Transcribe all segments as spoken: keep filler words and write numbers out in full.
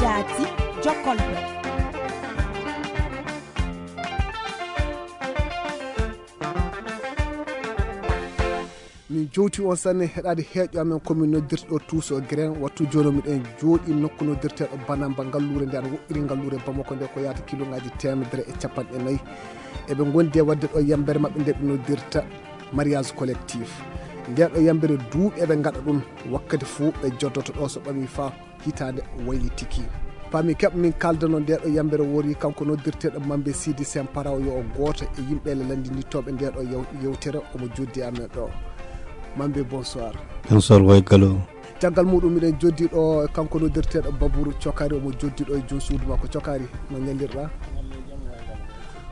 Jaati, jokkolɓe. Min jowti on sanne heɗaade heeƴo amen ko min noddirta ɗo Tuuso Gren. Wattu jooni miɗen jooɗi nokku noddirteeɗo Banamba, ngalluure nde ana woɗɗiri ngalluure Bamako nde ko yaata kiloŋaaji teemedere e capanɗe nayi. Eɓe ngondi e waɗde ɗo yambere maɓɓe nde ɓe noddirta mariage collectif. Nde ɗo yambere duuɓi eɓe ngaɗa ɗum, wakkati fof ɓe joddoto ɗo so ɓami faa hitaande waylitiki. Paami keɓ min kaldano nde ɗo yambere wori kanko noddirteeɗo Mambe Sidi Sempara o yo o gooto e yimɓe le lanndinitooɓe nde ɗo yew-, yewtere omo joddi amen ɗo. Mambe, bonsoir. Bonsoir, Waygalo. Caggal muɗum miɗen joddi ɗo kanko noddirteeɗo Baburu Cokari, omo joddi ɗo e joom suudu makko. Cokari, no ñallirɗa?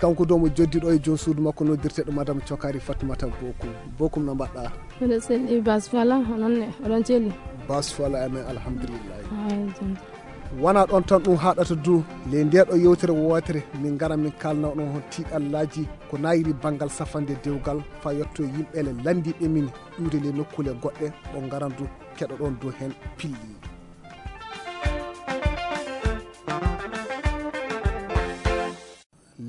Kanko du omo joddi ɗo e joom suudu makko noddirteeɗo Madame Cokari, Fatmata Bokum. Bokum, no mbaɗɗa? Mbiɗa selli Bas Fala, onon ne, oɗon celli? Bas Fala, amen, alhamdulillahi. Ay, jonta. Wona ɗon tan ɗum haɗata du, le nde ɗo yewtere wootere, min ngara min kalna onon hon tiiɗallaaji ko nayiri banngal safande dewgal, fa yetto yimɓe le lanndiiɓe min iwde le nokkuule goɗɗe, o ngaran du keɗoɗon du heen pilli.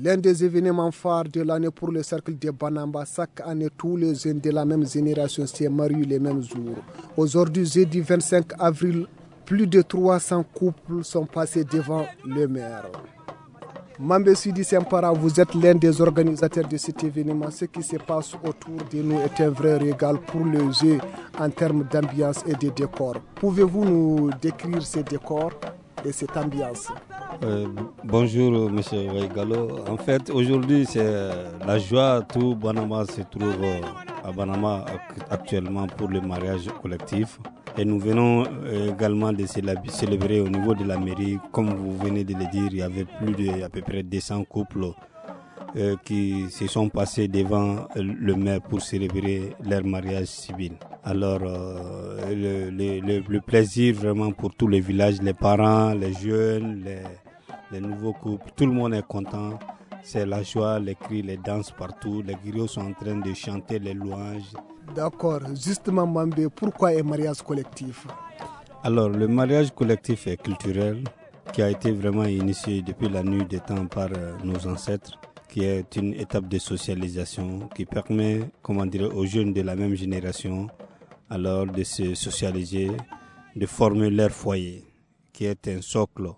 L'un des événements phares de l'année pour le cercle de Banamba, chaque année, tous les jeunes de la même génération se marient les mêmes jours. Aujourd'hui, jeudi vingt-cinq avril, plus de trois cents couples sont passés devant le maire. Mambe Sidi Sempara, vous êtes l'un des organisateurs de cet événement. Ce qui se passe autour de nous est un vrai régal pour les yeux en termes d'ambiance et de décor. Pouvez-vous nous décrire ce décor et cette ambiance ? Euh, bonjour, monsieur Waigalo. En fait, aujourd'hui, c'est, euh, la joie. Tout Banama se trouve, euh, à Banama ac-, actuellement pour le mariage collectif. Et nous venons, euh, également de célab-, célébrer au niveau de la mairie. Comme vous venez de le dire, il y avait plus de, à peu près deux cents couples, euh, qui se sont passés devant, euh, le maire pour célébrer leur mariage civil. Alors, euh, le, le, le, le plaisir vraiment pour tous les villages, les parents, les jeunes, les, les nouveaux couples, tout le monde est content. C'est la joie, les cris, les danses partout. Les griots sont en train de chanter les louanges. D'accord. Justement, Mambe, pourquoi un mariage collectif ? Alors, le mariage collectif est culturel, qui a été vraiment initié depuis la nuit des temps par, euh, nos ancêtres, qui est une étape de socialisation qui permet, comment dire, aux jeunes de la même génération, alors, de se socialiser, de former leur foyer, qui est un socle,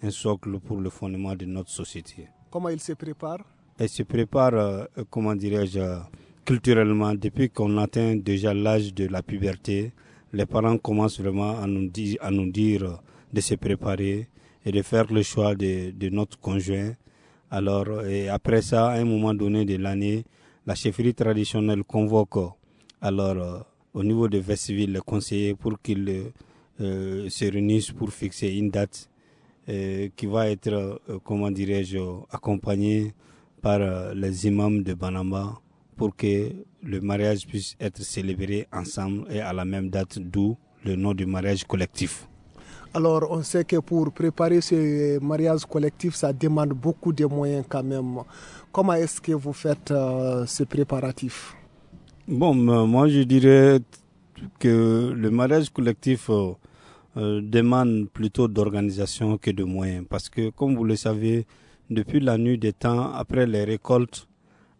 un socle pour le fondement de notre société. Comment il se prépare ? Elle se prépare, euh, comment dirais-je, euh, culturellement, depuis qu'on atteint déjà l'âge de la puberté. Les parents commencent vraiment à nous di-, à nous dire, euh, de se préparer et de faire le choix de, de notre conjoint. Alors, et après ça, à un moment donné de l'année, la chefferie traditionnelle convoque, alors, euh, au niveau de Vestville, les conseillers pour qu'ils, euh, se réunissent pour fixer une date, euh, qui va être, euh, comment dirais-je, accompagnée par, euh, les imams de Banamba pour que le mariage puisse être célébré ensemble et à la même date, d'où le nom du mariage collectif. Alors, on sait que pour préparer ce mariage collectif, ça demande beaucoup de moyens quand même. Comment est-ce que vous faites, euh, ce préparatif ? Bon, euh, moi, je dirais que le mariage collectif, euh, euh, demande plutôt d'organisation que de moyens. Parce que, comme vous le savez, depuis la nuit des temps, après les récoltes,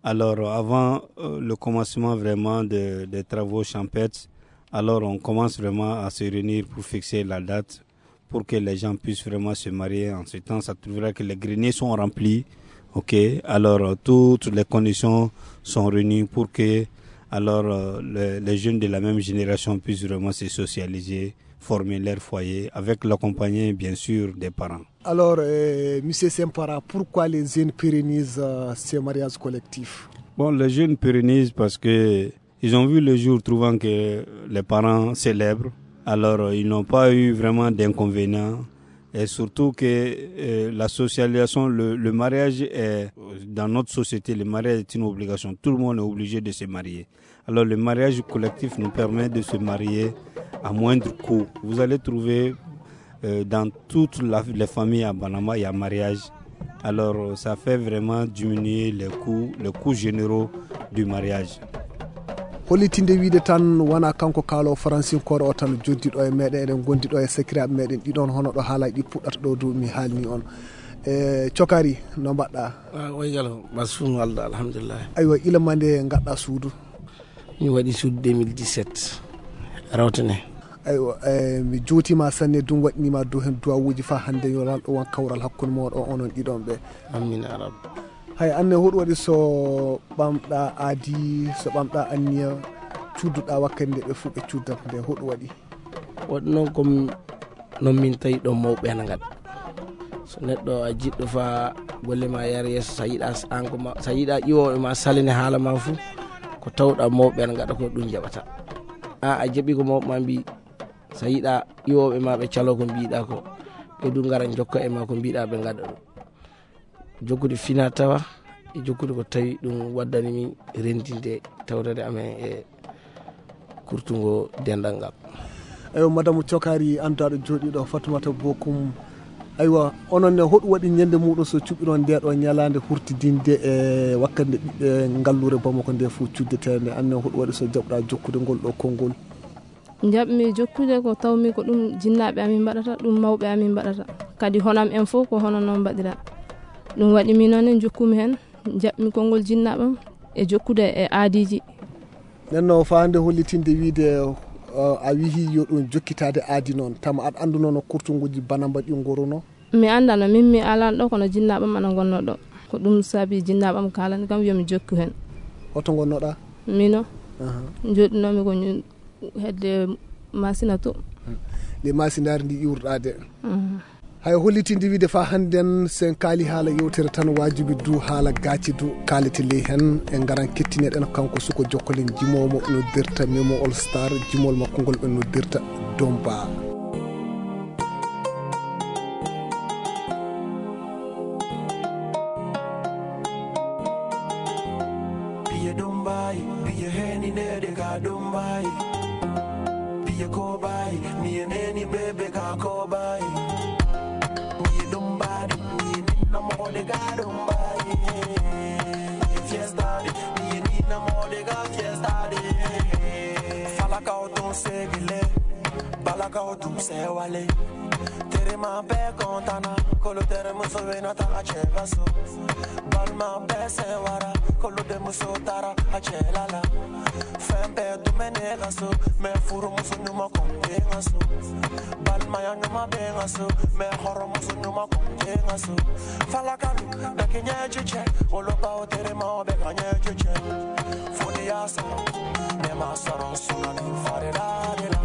alors avant, euh, le commencement vraiment de, des travaux champêtres, alors on commence vraiment à se réunir pour fixer la date, pour que les gens puissent vraiment se marier. En ce temps, ça trouvera que les greniers sont remplis. Ok, alors, euh, toutes les conditions sont réunies pour que, alors, euh, les, les jeunes de la même génération puissent vraiment se socialiser, former leur foyer, avec l'accompagnement, bien sûr, des parents. Alors, euh, monsieur Sempara, pourquoi les jeunes pérennisent, euh, ces mariages collectifs ? Bon, les jeunes pérennisent parce que ils ont vu le jour, trouvant que les parents célèbrent. Alors, euh, ils n'ont pas eu vraiment d'inconvénients. Et surtout que, euh, la socialisation, le, le mariage est, dans notre société, le mariage est une obligation. Tout le monde est obligé de se marier. Alors, le mariage collectif nous permet de se marier à moindre coût. Vous allez trouver, euh, dans toutes la, les familles à Banama, il y a mariage. Alors, ça fait vraiment diminuer les coûts, les coûts généraux du mariage. Hollitinde wiide tan wona kanko kaalo faransinkoore o tan joddi ɗo e meɗen, eɗen gondi ɗo e sakiraaɓe meɗen ɗiɗon, hono ɗo haalaaji ɗi puɗɗata ɗo du mi haalni on. E cokari, no mbaɗɗa? Ah, oygalo, basum alda, alhamdulillah. Aywa, ila ma nde ngaɗɗa suudu? Mi waɗi suudu deux mille dix-sept, rawtane. Aywa, e, mi jootima sanne, ɗum waɗnima du hen duwawuji fa hande yo lanɗo won kawral hakkunde moɗo onon ɗiɗon ɓe. Amin ya rabbi. Hay anne, hoɗum waɗi so ɓamɗa aadi, so ɓamɗa anniya, cudduɗa wakkati nde ɓe fof ɓe cuddat nde, hoɗum waɗi? Waɗi noon ko noon min tawi ɗo mawɓe ene ngaɗa. So neɗɗo a jiɗɗo fa golle ma yar yeeso, so a yiɗa s-, an ko ma, so a yiɗa ƴiwooɓe ma salini haala ma fof, ko tawɗa mawɓe ene ngaɗa ko ɗum jaɓata. A, a jaɓi ko mawɓe ma mbi, so a yiɗa ƴiwooɓe ma ɓe calo ko mbiɗa ko, ɓe du ngara jokka e ma ko mbiɗa ɓe ngaɗa ɗum. Jokkude fina tawa e jokkude ko tawi ɗum waddani min renndinde tawtade amen e kurtungo denndal ngal. Eywa, madame Cokari, annduɗo jooɗiiɗo Fatoumata Bokum. Aywa, onon ne, hoɗum waɗi ñande muɗum so cuɓiron nde ɗo ñalaande hurtidinde e wakkati nde ɓiɓɓe ngallure Bamako nde fof cuddetee nde? Anne, hoɗum waɗi so jaɓɗa jokkude ngol ɗo konngol? Njaɓmi jokkude ko tawmi ko ɗum jinnaaɓe amin mbaɗata, ɗum mawɓe amin mbaɗata. Kadi honam en fof ko hono noon mbaɗira. Ɗum waɗi min noon en jokkumi heen, njaɓmi konngol jinnaaɓe am e jokkude e aadiiji. Nden no faande hollitinde wiide, uh, a wihi yo ɗum jokkitaade aadi noon. Tama aɗa annduno no kurtunguji Banamba ɗi ngoruno? Mi anndaa no min mi alan ɗo, kono jinnaaɓe am ana ngonnoo ɗo. Ko ɗum saabi jinnaaɓe am kaalani kam yo mi jokku heen. Hoto ngonnoɗa? Mino. Aha. Njoɗinoomi ko ñu-, hedde Masina to. Nde Masindaari ndi iwruɗaa de. Mhm. Hay hollitinde wiide fa hannden sen kaali haala yewtere tan waajibi du haala gaaci du kaalete ley heen. En ngaran kettineɗen kanko suko jokkolen jimoomo noddirta Memo All Star, jimol makko ngol ɓe noddirta Domba. Piye Dombai, piye heni nede ka Dombai. Piye Kobai, mi e neni bebe ka Kobai. Mi e Dombai, mi e nina mode ka Dombai. Fiesta de, mi e nina mode ka Fiesta de. Fala ka o ton segele, bala ka o ton sewale. Tere ma be kontana, kolo tere muso wena ta a chega so. Balma be se wara, kolo de muso tara a chelala. Fempe du mene gaso, me furu muso numa konde gaso. Balma ya numa be gaso, me horo muso numa konde gaso. Fala kalu, be kinye chiche, olo pa o tere ma o be kanye chiche. Funi ya soro, ne ma soro suna ni fare da de la.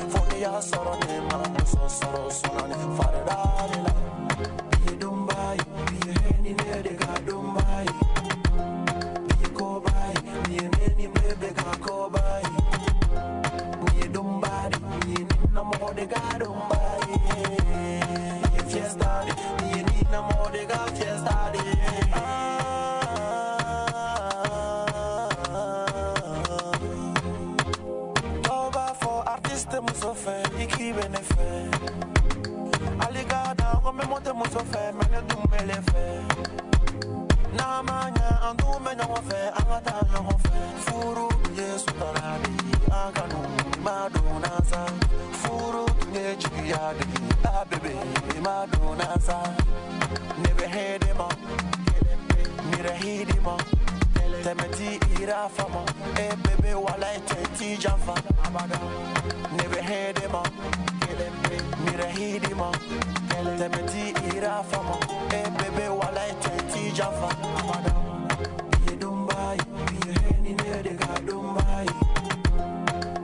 Funi ya soro, ne ma muso soro suna ni fare da de la. Piye Dumbai, piye heni nede ka Dumbai. Piye Kobai, piye neni bebe ka Kobai. Piye Dumbai, piye nina mode ka Dumbai. Piye fiesta de, piye nina mode ka fiesta de. Ah. Toba for artiste muso fe, iki bene fe. Aligada, ngome mote muso fe, mene dumbele fe. Na manya, andu me nyongo fe, angata nyongo fe. Furu, Yesu taradi, aganu, maduna sa. Furu, tunye jibi ya de, a bebe, maduna sa. Nebe hede ma, mire hidi ma. Temeti ira fama, e bebe wala e teti jafa. Abada, nebe hede ma. Mira hidima, temeti ira fama. E bebe wala e teti jafa. Amada. Biye Dumbai, biye heni nede ka Dumbai.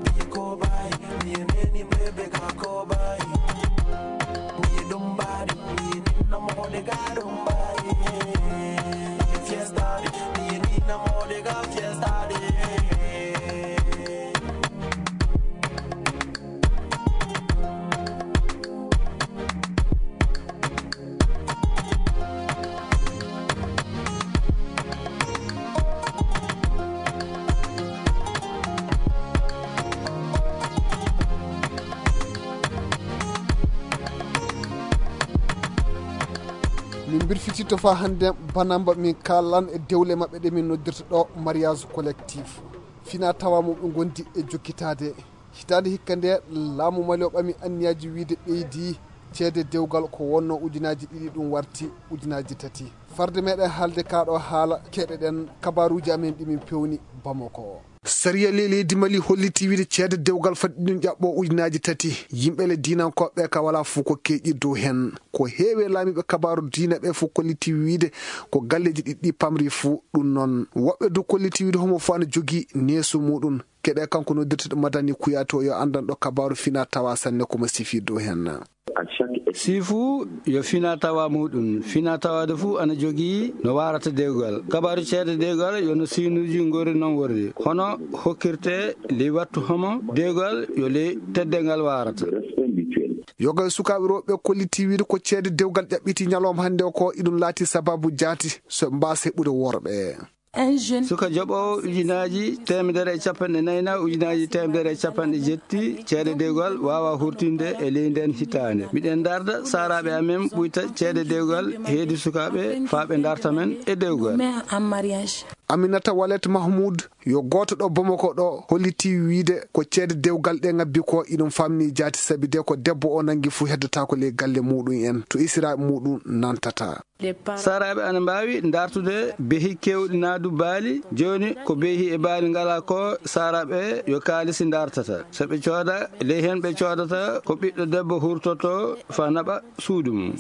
Biye Kobai, biye neni bebe ka Kobai. Biye Dumbai, biye nina mode ka Dumbai. Fiesta, biye nina mode ka Fiesta. Min mbirfititto fa hannde Banamba, min kaalan e dewle maɓɓe ɗe min noddirta ɗo mariage collectif. Fina tawa mum ɓe ngondi e jokkitaade. Hitaande hikka nde, laamu Mali o ɓami anniyaaji wiyde ɓeydi ceede dewgal ko wonno ujunaaji ɗiɗi, ɗum warti ujunaaji tati. Farde meɗen haalde kaa ɗo haala, keɗoɗen kabaaruuji amen ɗi min pewni Bamako. Sariya ley leydi Mali holliti wiyde ceede dewgal fadde ɗum ƴaɓɓo ujunaaji tati. Yimɓe le diinankooɓe ka wala fuu ko keƴi dow hen. Ko heewi e laamiiɓe kabaaru diina ɓe fof kolliti wiyde ko galleeji ɗiɗɗi pamri fuu. Ɗum noon, woɓɓe du kolliti wiyde homo fof ana jogii neesu muɗum. Keɗe kanko noddirteɗo Madani Kouyaté o, yo anndanɗo kabaaru fina tawa sanne ko mo sifi dow hen. Sifu yo fina tawa muɗum. Fina tawade fuu ana jogii no waarata dewgal. Kabaaru ceede dewgal yo no siinuuji ngori noon worri. Hono hokkirte ley wattu homo dewgal yo ley teddengal waarata. Yoga e sukaaɓe rewɓe kolliti wiyde ko ceede dewgal ƴaɓɓiti ñalawma hannde o ko iɗum laati sababu jaati so mbaasa heɓude worɓe. Suka joɓoowo ujunaaji teemedere e capanɗe nayi na ujunaaji teemedere e capanɗe jetti ceede dewgal waawa hurtinde e ley nden hitaande. Miɗen ndarda saaraaɓe amen ɓuyta ceede dewgal heedi sukaaɓe faa ɓe ndarta men e dewgal. Aminata Walet Mahmoud yo gooto ɗo Bamako ɗo holliti wiyde ko ceede dewgal ɗe ngabbi ko iɗum famni jaati sabi de ko debbo o nangi fuu heddotaako ley galle muɗum en to isiraaɓe muɗum nantata. Saaraaɓe ana mbaawi ndartude behi keewɗi naa du baali. Jooni ko behi e baali ngalaa ko saaraaɓe yo kaalisi ndartata. So ɓe cooda, ley heen ɓe coodata ko ɓiɗɗo debbo hurtoto faa naɓa suudu mum.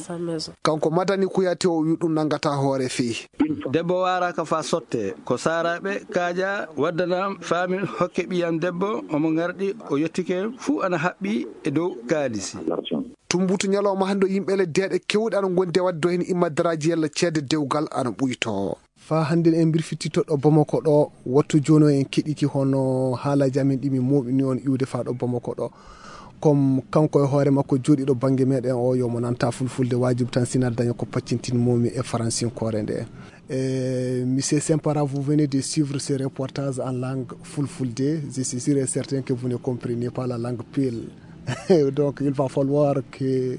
Kanko Madani Kouyaté o wi ɗum nanngata hoore fii. Debbo waaraaka faa sotte. Ko saaraaɓe kaaja waddana faamin hokke ɓiyam debbo omo ngarɗi o yettike fuu ana haɓɓi e dow kaalisi. Tumbutu ñalawma hannde o yimɓe le deeɗe kewɗe ana ngondi e waɗde heen immadaraaji yalla ceede dewgal ana ɓuytoo. Faa hannde en mbirfititto ɗo Bamako ɗo, wattu jooni o en keɗiki hono haalaaji amen ɗi min mooɓini on iwde faa ɗo Bamako ɗo. Comme kanko e hoore makko jooɗiiɗo bannge meɗen o, yo mo nanta fulfulde, waajibi tan sinaa daña ko paccintin moomi e faransinkoore nde. Eh, Monsieur Sempara, vous venez de suivre ce reportage en langue fulfulde. Je suis sûr et certain que vous ne comprenez pas la langue peul. Donc, il va falloir que,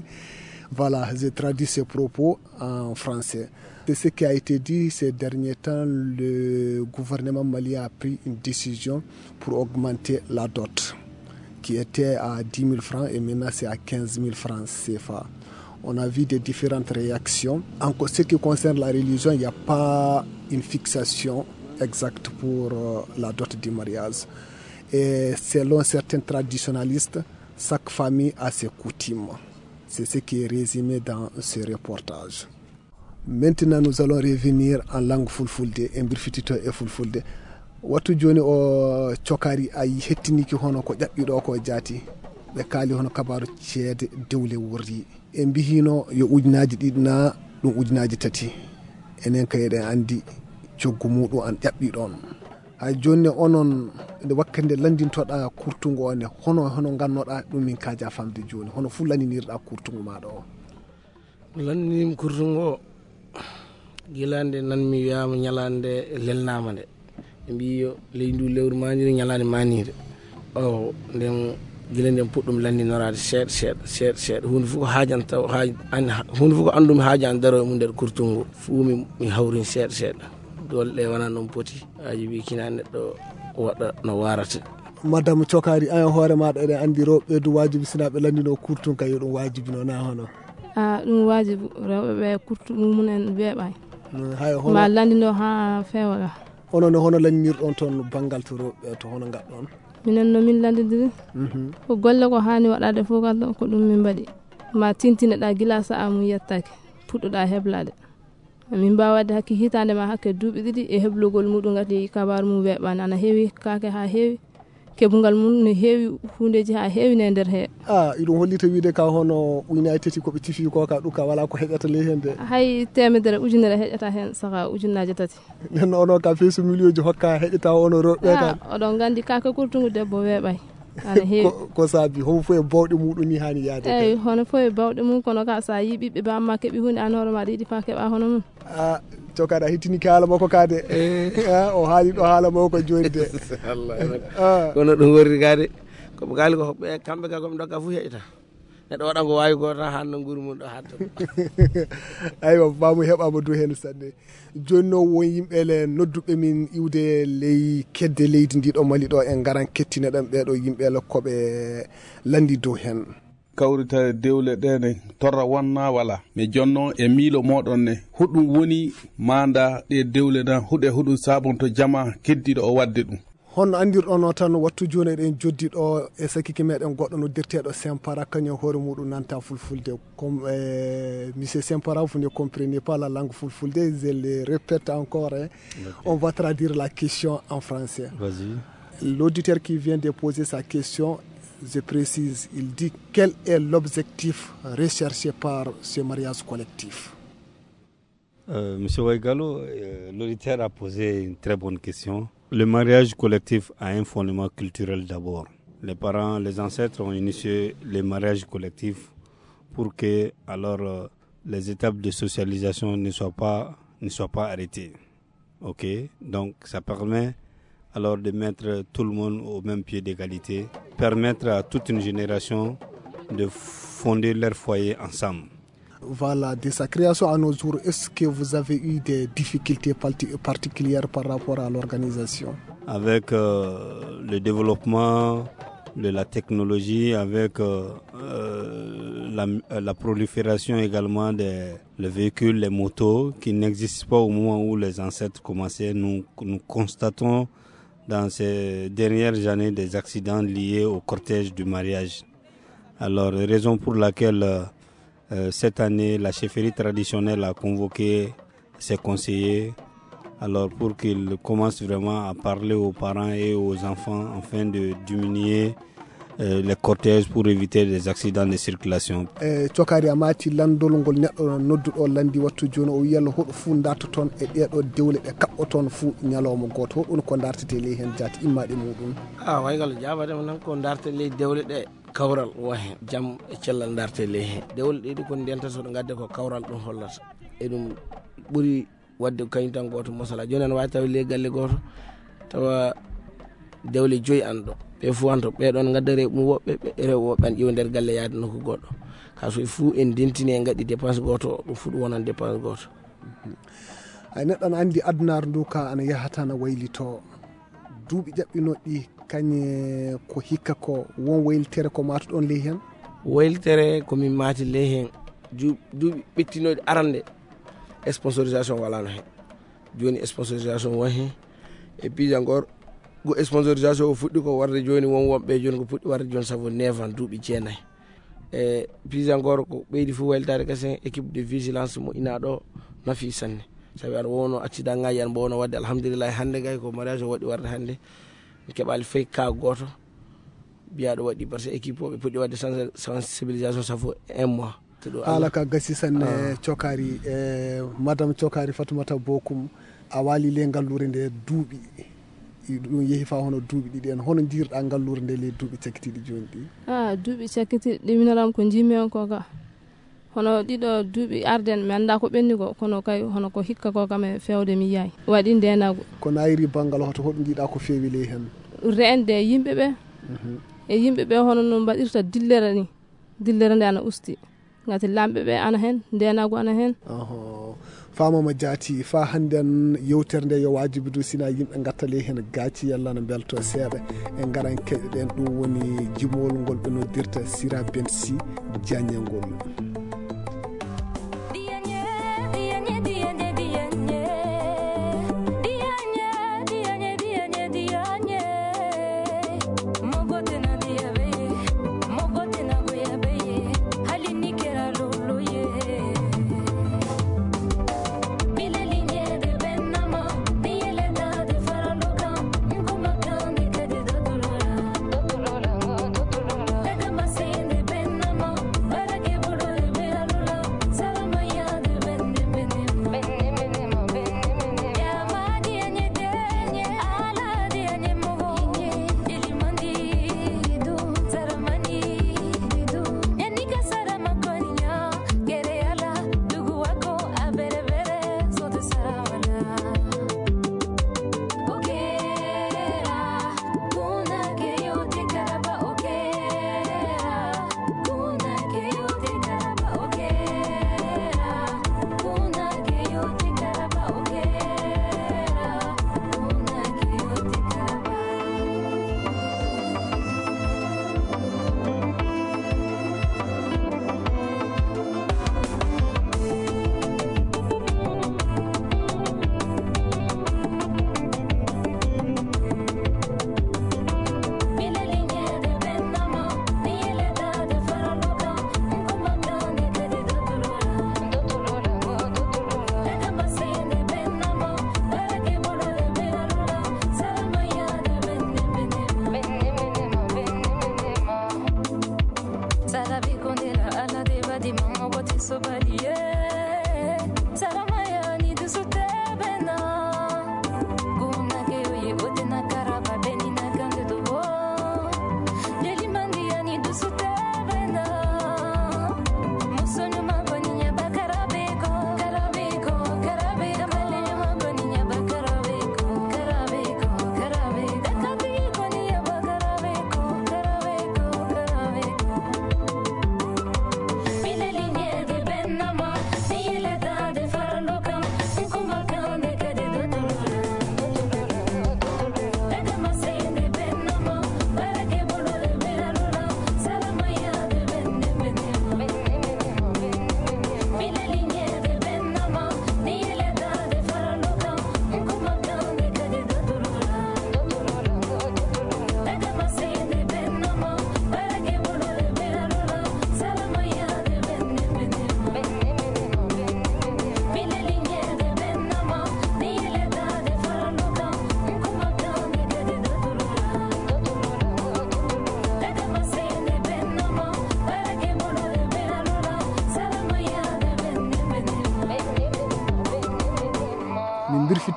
voilà, je traduis ces propos en français. C'est ce qui a été dit ces derniers temps. Le gouvernement malien a pris une décision pour augmenter la dot, qui était à dix mille francs et maintenant c'est à quinze mille francs C F A. On a vu des différentes réactions. En co-, ce qui concerne la religion, il n'y a pas une fixation exacte pour, euh, la dot du mariage. Et selon certains traditionalistes, chaque famille a ses coutumes. C'est ce qui est résumé dans ce reportage. Maintenant, nous allons revenir en langue fulfulde, en birfitito e fulfulde. Wattu jooni o cokari a yi-, hettiniki hono ko ƴaɓɓiɗo ko jaati. Ɓe kaali hono kabaaru ceede dewle worri. E mbihino yo ujunaaji ɗiɗi na ɗum ujunaaji tati. Enen kay eɗen anndi coggu muɗum an ƴaɓɓi ɗon. Hay jooni ne onon, nde wakkati nde lanndintoɗa kurtungu o ne, hono, hono ngannoɗa ɗum min kaaja famde jooni? Hono fuu lanndinirɗa kurtungu maɗa o? Lanndinimi kurtungu o, gila nde nan mi wiyaama ñalaande lelnaama nde. Ɓe mbii yo ley ndu lewru maaniiru ñalaande maaniire. O, nden, gila nden puɗɗum lanndinoraade seeɗa, seeɗa, seeɗa, seeɗa. Huunde fof ko haajanta, haaj-, an-, huunde fof ko anndumi haaju an daroo e mum nder kurtungu. Fuu mi, mi hawrin seeɗa, seeɗa. Doole ɗe wonaa noon poti. Aji wi kina neɗɗo waɗa no waarata. Madame Cokari, an e hoore maɗa eɗen anndi rewɓe du waajibi sina ɓe lanndino kurtun ka yo ɗum waajibi no na hono? A, ɗum waajibu. Rewɓe ɓe kurtu mumunen weeɓay. Mm, hay hono ma lanndino haa feewa ga. Onon ne hono lannirɗon toon banngal to rewɓe to hono ngaɗɗon? Minen no min lanndidiri. Mhm. Ko golle ko haani waɗaade fof kadi ko ɗum min mbaɗi. Ma tintineɗa gila sa'a mum yettake, puɗɗoɗa heblaade. Min mbaawa waɗde hakke hitaande ma hakke duuɓi ɗiɗi e heblugol muɗum ngati kabaaru mum weeɓaani. Ana heewi kaake haa heewi, keɓungal mum ne heewi huundeeji haa heewi ne nder he. A, iɗum hollita wiide ka hono ujunaaji tati ko ɓe tifi ko ka ɗum ka wala ko heƴata ley heen de. Hay teemedere ujunere heƴata heen saka ujunnaaje tati. Nden onon ka feesu miliyonji hokka heƴata onon rewɓe kan. A, oɗon nganndi kaake kurtungu debbo weeɓay. Ana heewi. Ko, ko saabi, homo fof e bawɗe muɗum ni haani yaade. Eyi, hono fof e bawɗe mum, kono ka sa yii ɓiɓɓe ba amma keɓi huunde, an hoore maɗa yiɗi fa keɓa hono mum. A, Cokari a hittini ki haala makko ka de. Eh. A, o haali ɗo haala makko jooni de. Allah. A. Kono ɗum worri ka de. Ko ɓe kaali ko ɓe kamɓe ka ko ɓe ndokka fof heƴata. Neɗɗo waɗa ngo waawi gooto tan, hanno nguuru mum ɗo haaɗta. Aywa, baamu heɓaama dow heen sanne. Jooni noon, won yimɓe le nodduɓe min iwde ley kedde leydi ndi ɗo Mali ɗo, en ngaran kettinoɗen ɓeeɗo yimɓe le ko ɓe lanndi dow heen. Kawritare dewle ɗe ne torra wonna wala. Mi jonno e miilo moɗon ne, huɗum woni manda ɗe dewle na huɗe huɗum sabonto jama keddiɗo o wadde ɗum. Honno anndirɗon o tan, wattu jooni eɗen joddi ɗo e sakike meɗen goɗɗo noddirteeɗo Sempara, kañum hoore muɗum nanta fulfulde. Comme, eh, monsieur Sempara, vous ne comprenez pas la langue fulfulde, je le répète encore, hein. Ok. On va traduire la question en français. Vas-y. L'auditeur qui vient de poser sa question, je précise, il dit quel est l'objectif recherché par ce mariage collectif ? Euh, monsieur Waigalo, euh, l'auditeur a posé une très bonne question. Le mariage collectif a un fondement culturel d'abord. Les parents, les ancêtres ont initié les mariages collectifs pour que, alors, euh, les étapes de socialisation ne soient pas, ne soient pas arrêtées. Ok, donc ça permet alors de mettre tout le monde au même pied d'égalité, permettre à toute une génération de fonder leur foyer ensemble. Voilà, de sa création à nos jours, est-ce que vous avez eu des difficultés parti-, particulières par rapport à l'organisation ? Avec, euh, le développement de la technologie, avec, euh, euh, la, la prolifération également des les véhicules, les motos qui n'existent pas au moment où les ancêtres commençaient, nous, nous constatons dans ces dernières années des accidents liés au cortège du mariage. Alors, raison pour laquelle, euh, euh, cette année, la chefferie traditionnelle a convoqué ses conseillers, alors pour qu'ils commencent vraiment à parler aux parents et aux enfants afin de diminuer, euh, les cortèges pour éviter des accidents de circulation. E cokari a maati lanndol ngol neɗɗo nodduɗo lanndi wattu jooni, o wiya hoɗo fuu ndartoton e ɗeeɗo dewle ɗe kaɓɓoton fuu ñalawma gooto. Hoɗum ko ndartetee ley heen jaati immaaɗe muɗum? A, Waigalo, jaabade mo tan ko ndartetee ley dewle ɗe kawral won heen, jam e cellal ndartetee ley heen. Dewle ɗe ɗi ko ndenta so ɗo ngadde ko kawral ɗum hollata. E ɗum ɓuri waɗde ko kañum tan gooto mosala. Jooni ana waawi tawi ley galle gooto, tawa dewle joyi ana ɗo. Ɓe fof ana to, ɓee ɗoon ngaddare mum woɓɓe, ɓe rewo woɓɓe ana ƴeewa nder galle yaade nokku goɗɗo. Ka so e fuu en ndentini en ngaɗi dépense gooto, ɗum fuu ɗum wonan dépense gooto. Ay, neɗɗo ana anndi adunaaru ndu ka ana yaha tan ana waylitoo. Duuɓi ƴaɓɓinooɗi ɗi, kañe ko hikka ko won waylitere ko maatuɗon ley heen? Waylitere ko min maati ley heen. Ju-, duuɓi ɓettinooɗi arande, sponsorisation walaano heen. Jooni sponsorisation won heen. E piija ngor, ko sponsorisation o fuɗɗi ko warde jooni, won wonɓe jooni ko puɗɗi warde jooni sabu neefan duuɓi jeenayi. E piija ngor ko ɓeydi fof waylitaade kasen, équipe de vigilance mo ina ɗo nafi sanne. Sabi aɗa wowno accident ngaji, aɗa mbowno waɗde, alhamdulillahi, hannde kay ko mariage o waɗi warde hannde. Mi keɓaali fay ka gooto mbiyaɗo waɗi, par ce que équipe o ɓe puɗɗi waɗde sens-, sensibilisation, ça fait un mois. Haala ka gasi sanne. Ah. Cokari, e madame Cokari Fatoumata Bokum, a waali le ngalluure nde duuɓi. I ɗum yehi faa hono duuɓi ɗiɗi en. Hono njiirɗa ngalluure nde le duuɓi cakkitiiɗi jooni ɗi? Ah, duuɓi cakkitiiɗi ɗi, minoram ko njiimi on ko ka. Hono ɗiɗo duuɓi arden, mi anndaa ko ɓenni ko, kono kay hono ko hikka ko kam e feewde mi yiyaay. Waɗi ndeenaagu. Ko naayiri banngal hoto, hoɗum njiɗa ko feewi ley heen? Reende yimɓe ɓe. Mhm. E yimɓe ɓe hono no mbaɗirta dillere ni. Dillere nde ana usti. Ngati lamɓe ɓe ana heen, ndeenaagu ana heen. Oho. Faamama jaati, faa hannden yewtere nde yo waajibi du sina yimɓe ngatta ley heen gaaci yalla no mbelto seeɗa. En ngaran keɗoɗen ɗum woni jimowol ngol ɓe noddirta Sira Ben Si Diagne ngol.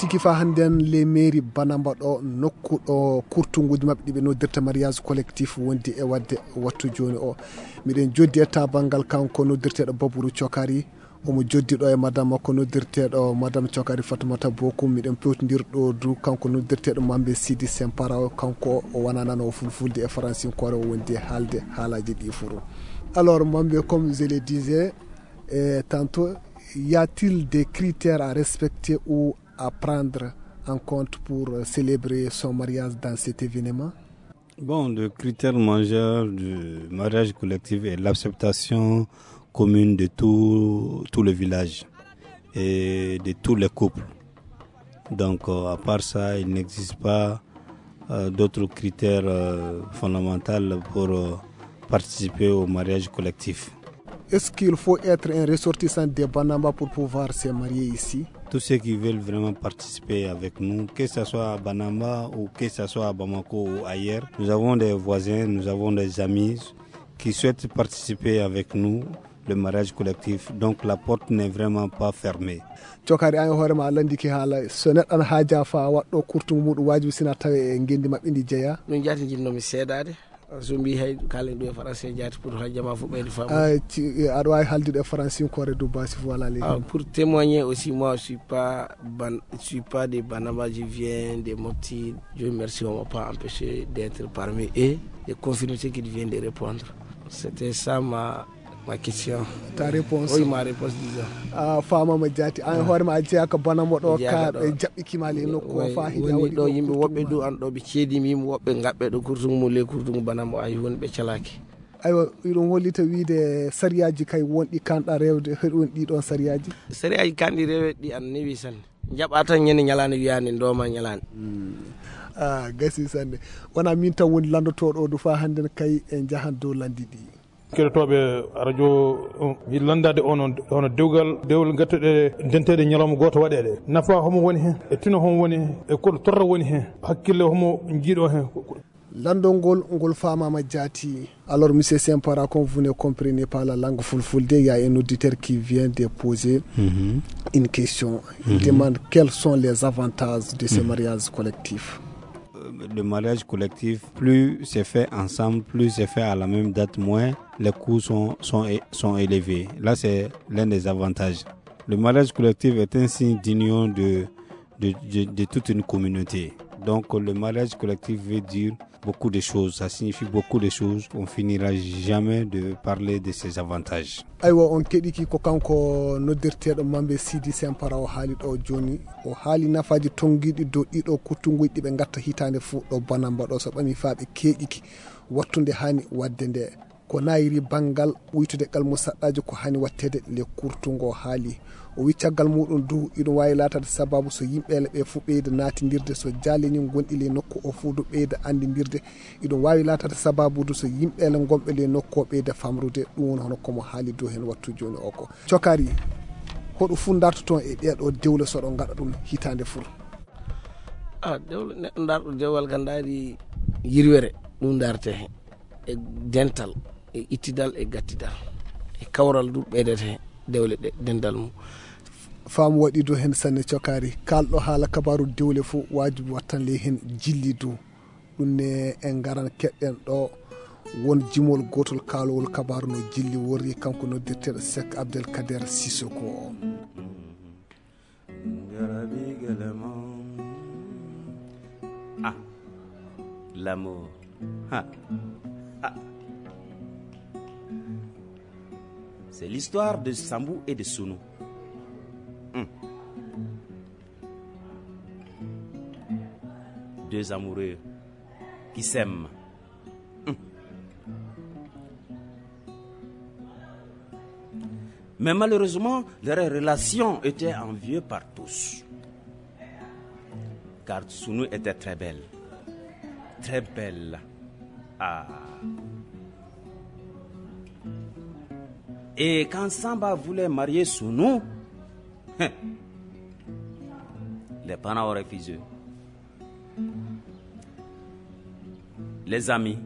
Kifa hannden les mairies Banamba ɗo nokku ɗo kurtunguuji maɓɓe ɗi ɓe noddirta mariage collectif wondi e waɗde wattu jooni o. Miɗen joddi e tabangal kanko noddirteeɗo Baburu Cokari. Omo joddi ɗo e madame makko noddirteeɗo madame Cokari Fatumata Bokum. Miɗen pewtondir ɗo du kanko noddirteeɗo Mambe Sidi Sempara o, kanko o wona nanowo fulfulde e faransinkoore, o wondi e haalde haalaaji ɗi furu. Alors Mambe, comme je le disais, eh, tantôt, y a-t-il des critères à respecter ou à prendre en compte pour célébrer son mariage dans cet événement? Bon, le critère majeur du mariage collectif est l'acceptation commune de tout, tout le village et de tous les couples. Donc, euh, à part ça, il n'existe pas euh, d'autres critères euh, fondamentaux pour euh, participer au mariage collectif. Est-ce qu'il faut être un ressortissant de Banamba pour pouvoir se marier ici? Tous ceux qui veulent vraiment participer avec nous, que ce soit à Banamba ou que ce soit à Bamako ou ailleurs, nous avons des voisins, nous avons des amis qui souhaitent participer avec nous le mariage collectif. Donc la porte n'est vraiment pas fermée. Cokari, an e hoore ma a lanndike haala, so neɗɗo ana haaja fa waɗɗo kurtungu muɗum, waajibi sina tawe e ngenndi maɓɓe ndi jeya. Ɗum jaati jinnoomi seedaade. So mbi hay kaalen ɗum e français jaati pour hajja ma fof ɓeyde faamu. Ah, ci- eh, aɗa waawi haaldude e faransinkoore du basi, voilà les Ah, pour témoigner aussi, moi je suis pas ban- je suis pas de Banamba, je viens de Mopti. Dieu merci, on m'a pas empêché d'être parmi eux, de confirmer ce qu'il vient de répondre. C'était ça ma ma question. Ta réponse. Oui, ma réponse, disons. A faamaama jaati. An e hoore ma a jeyaa ko Banamba ɗo, ka ɓe jaɓɓikima le nokku o fa hija woni ɗo yimɓe woɓɓe du an ɗo ɓe ceedimi yimɓe woɓɓe ngaɓɓe ɗo kurtungu mum le kurtungu Banamba ay woni ɓe calaaki. Aywa, iɗum hollita wiide sariyaaji kay wonɗi kanɗa rewde, heɗon ɗi ɗon sariyaaji? Sariyaaji kanɗi rewde ɗi an newi sanne. Jaɓa tan ñande ñalaande wiyaande ndooma ñalaande. Ah, gasi sanne. Wona min tan woni lanndotooɗo o du fa hannden kay en njahan dow lanndi ɗi. Keɗotooɓe radio, um, mi lanndaade ono, ono dewgal, dewgal ngattuɗe denteede ñalawma gooto waɗeede. Nafa homo woni heen, e tino homo woni heen, e koɗo torra woni heen, hakkille homo njiiɗo heen. Lanndol ngol, ngol faamaama jaati. Alors, monsieur Sempara, comme vous ne comprenez pas la langue fulfulde, il y a un auditeur qui vient de poser une question. Il demande quels sont les avantages de ce mariage collectif. Euh, le mariage collectif, plus c'est fait ensemble, plus c'est fait à la même date, moins les coûts sont, sont, é- sont élevés. Là, c'est l'un des avantages. Le mariage collectif est un signe d'union de, de, de, de toute une communauté. Donc, le mariage collectif veut dire beaucoup de choses, ça signifie beaucoup de choses. On finira jamais de parler de ses avantages. Aywa, on keɗiki ko kanko noddirteeɗo Mambe Sidi Sempara o haali ɗo jooni. O haali nafaaji tonngiiɗi dow ɗiɗo kuttunguuji ɗi ɓe ngatta hitaande fof ɗo Banamba ɗo, so ɓami faa ɓe keeƴiki wattu nde haani waɗde nde. Ko nayiri banngal ɓuytude qalmu saɗɗaaji ko haani waɗteede le kurtungu o haali. O wi caggal muɗum du, iɗum waawi laataade sababu so yimɓeele ɓe fof ɓeyda naatindirde, so jaaleñi gonɗi ley nokku o fof du ɓeyda anndindirde. Iɗum waawi laataade sababu du so yimɓeele gonɓe ley nokku o ɓeyda famrude. Ɗum woni hono komo haali dow heen wattu jooni o ko. Cokari, hoɗo fof ndartoton e ɗeeɗo dewle so ɗo ngaɗa ɗum hitaande fof? Ah, dewle, neɗɗo ndarɗo dewal kam ndaari yirwere, ɗum ndarete heen. E dental, e ittidal, e gattidal, e kawral du ɓeydete dewle ɗe, dental mum. Faamu waɗi du heen sanne Cokari. Kaalɗo haala kabaaru dewle fof, waajibi wattan ley heen jilli du. Ɗum ne en ngaran keɗɗen ɗo won jimol gootol kaalowol kabaaru no jilli worri, kanko noddirteeɗo Seek Abdel Kader Sisoko o. Ah, l'amour. Ah, ah. C'est l'histoire de Sambou et de Sounou. Hmm. Deux amoureux qui s'aiment. Hmm. Mais malheureusement, leur relation était enviée par tous. Car Sounou était très belle. Très belle. Ah. Et quand Samba voulait marier Sounou, hein, les parents ont refusé. Les amis,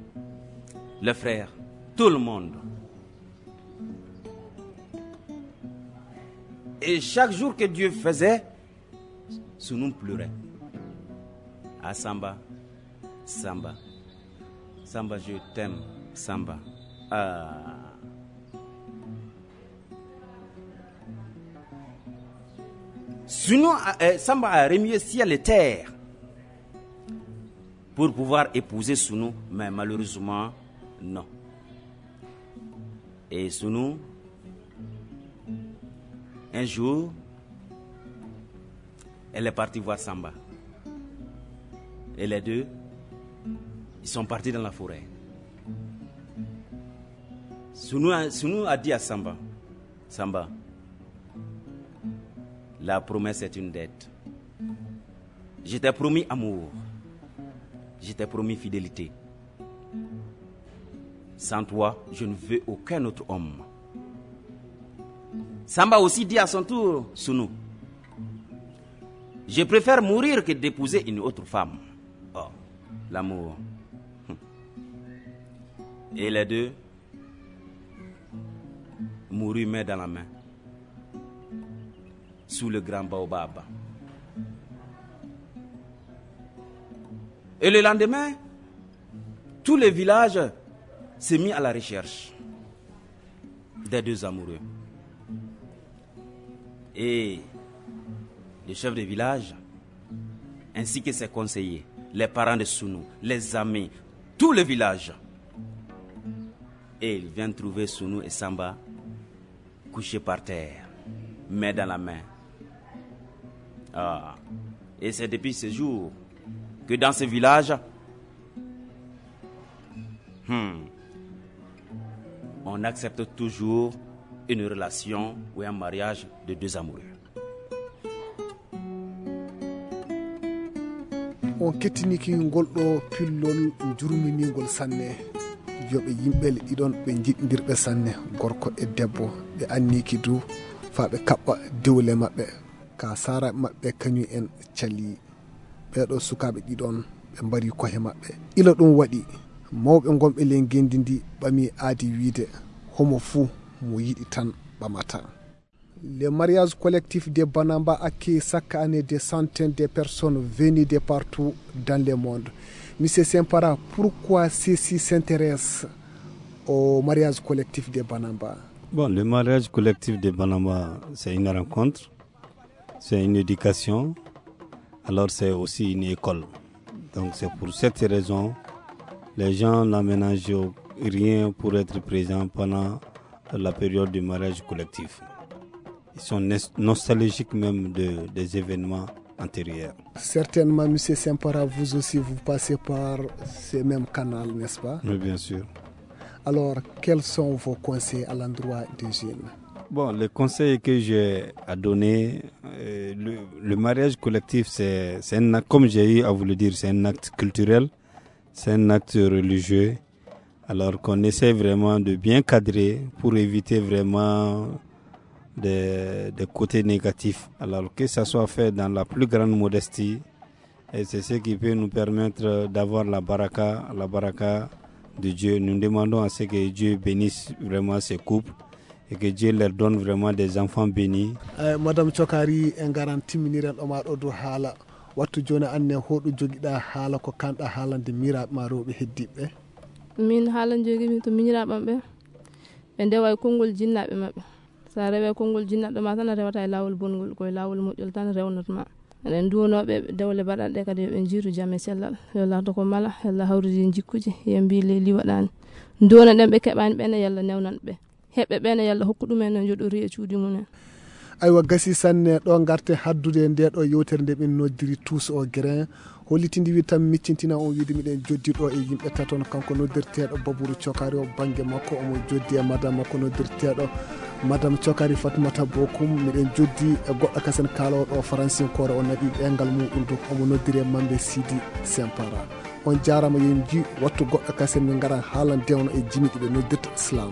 les frères, tout le monde. Et chaque jour que Dieu faisait, Sunu pleurait. Ah, Samba, Samba, Samba, je t'aime, Samba. Ah. Sunu a, eh, Samba a remué ciel et terre pour pouvoir épouser Sunu, mais malheureusement, non. Et Sunu, un jour, elle est partie voir Samba. Et les deux, ils sont partis dans la forêt. Sunu a, Sunu a dit à Samba, Samba, la promesse est une dette. Je t'ai promis amour. Je t'ai promis fidélité. Sans toi, je ne veux aucun autre homme. Samba aussi dit à son tour, Sunu, je préfère mourir que d'épouser une autre femme. Oh, l'amour. Et les deux moururent main dans la main sous le grand baobab. Et le lendemain, tout le village s'est mis à la recherche des deux amoureux. Et le chef de village, ainsi que ses conseillers, les parents de Sunu, les amis, tout le village. Et ils viennent trouver Sunu et Samba couchés par terre, main dans la main. Ah. Et c'est depuis ce jour que dans ce village, hmm, on accepte toujours une relation ou un mariage de deux amoureux. On kettiniki ngol ɗo pillol jurminingol sanne. Yo ɓe yimɓe le ɗiɗon ɓe jiɗndirɓe sanne, gorko e debbo, ɓe anniki du faa ɓe kaɓɓa dewle maɓɓe. Ka saaraaɓe maɓɓe kañum en calii. Ɓee ɗo sukaaɓe ɗiɗon ɓe mbari kohe maɓɓe. Ila ɗum waɗi, mawɓe gonɓe ley ngenndi ndi ɓami aadi wiide, homo fuu mo yiɗi tan ɓamata. Le mariage collectif de Banamba accueille chaque année des centaines de personnes venues de partout dans le monde. Monsieur Sempara, pourquoi ceux-ci s'intéressent au mariage collectif de Banamba ? Bon, le mariage collectif de Banamba, c'est une rencontre, c'est une éducation, alors c'est aussi une école. Donc c'est pour cette raison, les gens n'aménagent rien pour être présents pendant la période du mariage collectif. Ils sont nes-, nostalgiques même de, des événements antérieurs. Certainement, monsieur Sempara, vous aussi, vous passez par ce même canal, n'est-ce pas ? Oui, bien sûr. Alors, quels sont vos conseils à l'endroit des jeunes ? Bon, les conseils que j'ai à donner, euh, le, le mariage collectif, c'est, c'est un acte, comme j'ai eu à vous le dire, c'est un acte culturel, c'est un acte religieux. Alors qu'on essaie vraiment de bien cadrer pour éviter vraiment des, des côtés négatifs. Alors que ça soit fait dans la plus grande modestie, et c'est ce qui peut nous permettre d'avoir la baraka, la baraka de Dieu. Nous demandons à ce que Dieu bénisse vraiment ces couples et que Dieu leur donne vraiment des enfants bénis. Eh, Madame Cokari, en ngaran timminiren ɗo ma ɗo dow haala. Wattu jooni, aan ne, hoɗo jogiɗaa haala ko kaanɗaa haalande miiraaɓe ma rewɓe heddiiɓe ɓe? Min haala njogiimi to miñiraaɓe am ɓe, ɓe ndewa e konngol jinnaaɓe maɓɓe. So a rewii e konngol jinnaaɗo ma tan, a rewataa e laawol bonngol, ko e laawol moƴƴol tan rewnat ma. Eɗen nduwanoo ɓe dewle baɗanɗe kadi, yo ɓe njiitu jam e cellal. Yo laawto ko mala, yo Allah hawridi en jikkuuji, yo mbii leydi waɗaani. Nduwano ɗen ɓe keɓaani ɓe ne, yo Allah newnan ɓe. Heɓɓe ɓe ne, yo Allah hokku ɗum en no njoɗori e cuuɗi mum en. Aywa, gasi sanne ɗo ngarte haddude nde ɗo yewtere nde min noddiri Tous au grain. Hollitinde wi tan miccintina on wiide miɗen joddi ɗo e yimɓe taton, kanko noddirteeɗo Baburu Cokari o, bannge makko omo joddi e madame makko noddirteeɗo Madame Cokari Fatmata Bokum. Miɗen joddi e goɗɗo kasen kaalooɗo faransinkoore o, naɓi ɓeengal muɗum, donc omo noddiri e Mambe Sidi Sempara. On jaaraama, yo en nji wattu goɗɗo kasen min ngara haalan dewno e jimi ɗi ɓe noddirta Slam.